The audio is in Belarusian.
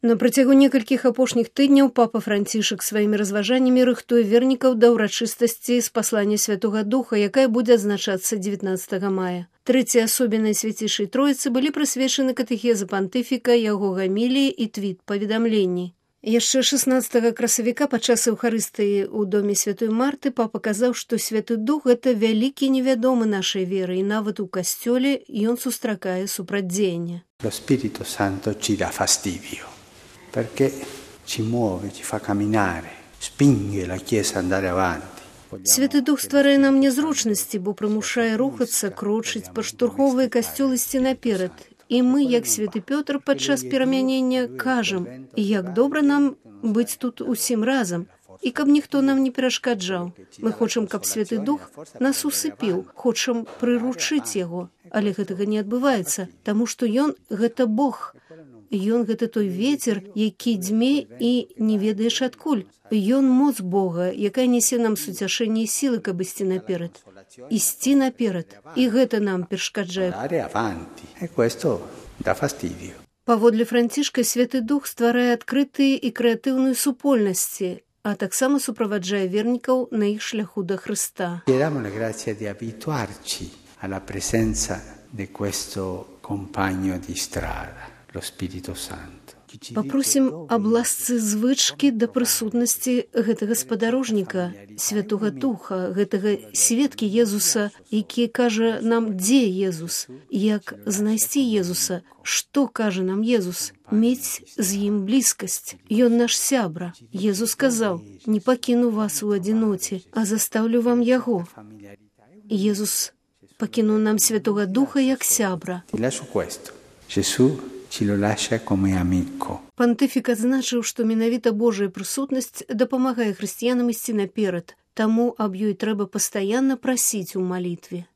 На працягу некалькіх апошніх тыдняў папа Францішак сваімі разважаннямі рыхтуе вернікаў да ўрачыстасці спаслання Святога Духа, якая будзе адзначацца 19 мая. Трэцяй асобінай Свяцейшай Троіцы былі прысвечаны катэхезы пантыфіка, яго гаміліі і твіт паведамленні. Яшчэ 16 красавіка падчас Эўхарыстыі ў доме Святой Марты папа казаў, што Святы Дух – гэта вялікі невядомы нашай веры, і нават у касцёле ён сустракае супрацьдзеянне. Lo Spirito Santo ci dà fastidio. Perché ci muove, ci fa camminare, spinge la Chiesa ad andare avanti. Святы Дух стварае нам нязручнасці, бо прымушае рухацца, крочыць, падштурхоўвае касцёл ісці наперад. І мы, як святы Пётр, падчас перамянення кажам, як добра нам быць тут усім разам, і каб ніхто нам не перашкаджаў. Мы хочам, каб Святы Дух нас усыпіў, хочам прыручыць яго, але гэтага не адбываецца, таму што ён – гэта Бог. Ён – гэта той вецер, які дзьме і не ведаеш адкуль. Ён моц Бога, якая нясе нам суцяшэнне і сілы, каб ісці наперад. Ісці наперад. І гэта нам перашкаджае. Паводле Францішка, Святы Дух стварае адкрытыя і крэатыўныя супольнасці, а таксама суправаджае вернікаў на іх шляху да Хрыста. Chiediamo la grazia di abituarci alla presenza di questo compagno di strada, lo Spirito Santo. Папросім аб ласцы звычкі да прысутнасці гэтага спадарожніка, Святога Духа, гэтага сведкі Езуса, які кажа нам, дзе Езус, як знайсці Езуса, што кажа нам Езус, мець з ім блізкасць. Ён наш сябра. Езус сказаў, не пакіну вас у адзіноце, а застаўлю вам яго. Езус пакінуў нам Святога Духа як сябра. Пантыфік адзначыў, што менавіта Божая прысутнасць дапамагае хрысціянам ісці наперад, таму аб ёй трэба пастаянна прасіць у малітве.